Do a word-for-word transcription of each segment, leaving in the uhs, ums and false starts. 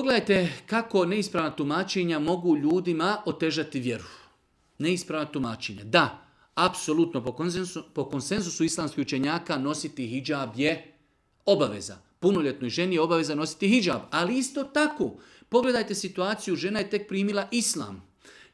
pogledajte kako neispravna tumačenja mogu ljudima otežati vjeru. Neispravna tumačenja. Da, apsolutno po konsenzusu, po konsenzusu islamskih učenjaka nositi hidžab je obaveza. Punoljetnoj ženi je obaveza nositi hidžab. Ali isto tako, pogledajte situaciju, žena je tek primila islam.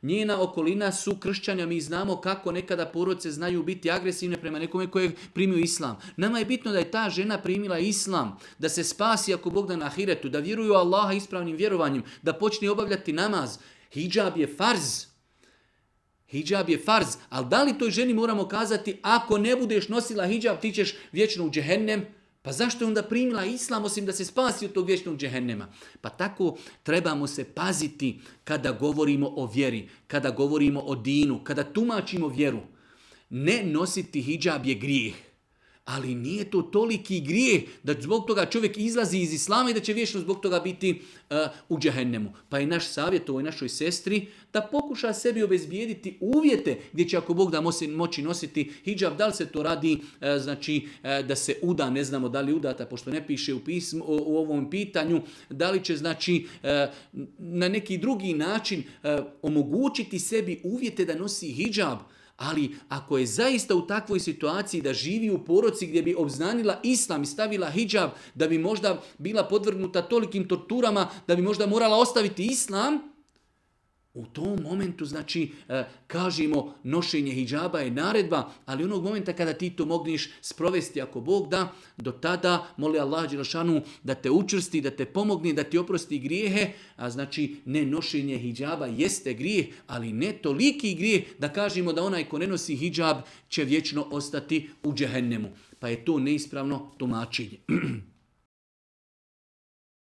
Njena okolina su kršćanja, mi znamo kako nekada porodice znaju biti agresivne prema nekome koje primio islam. Nama je bitno da je ta žena primila islam, da se spasi ako Bog da na ahiretu, da vjeruju Allaha ispravnim vjerovanjem, da počne obavljati namaz. Hidžab je farz. Hidžab je farz, ali da li toj ženi moramo kazati ako ne budeš nosila hidžab ti ćeš vječno u džehennem? Pa zašto je onda primila islam osim da se spasi od tog vječnog džehennema? Pa tako trebamo se paziti kada govorimo o vjeri, kada govorimo o dinu, kada tumačimo vjeru. Ne nositi hidžab je grijeh. Ali nije to toliki grijeh da zbog toga čovjek izlazi iz islama i da će vječno zbog toga biti uh, u džehennemu. Pa je naš savjet ovoj našoj sestri da pokuša sebi obezbijediti uvjete gdje će ako Bog da moći nositi hidžab. Da li se to radi uh, znači uh, da se uda, ne znamo da li udata pošto ne piše u, pismu, u, u ovom pitanju, da li će znači uh, na neki drugi način uh, omogućiti sebi uvjete da nosi hidžab. Ali ako je zaista u takvoj situaciji da živi u porodici gdje bi obznanila islam i stavila hidžab, da bi možda bila podvrgnuta tolikim torturama, da bi možda morala ostaviti islam, u tom momentu, znači, kažemo nošenje hidžaba je naredba, ali onog momenta kada ti to mogneš sprovesti ako Bog da, do tada moli Allah dželešanu da te učvrsti, da te pomogne, da ti oprosti grijehe, a znači ne nošenje hidžaba jeste grijeh, ali ne toliki grijeh da kažemo da onaj ko ne nosi hidžab će vječno ostati u džehennemu. Pa je to neispravno tumačenje.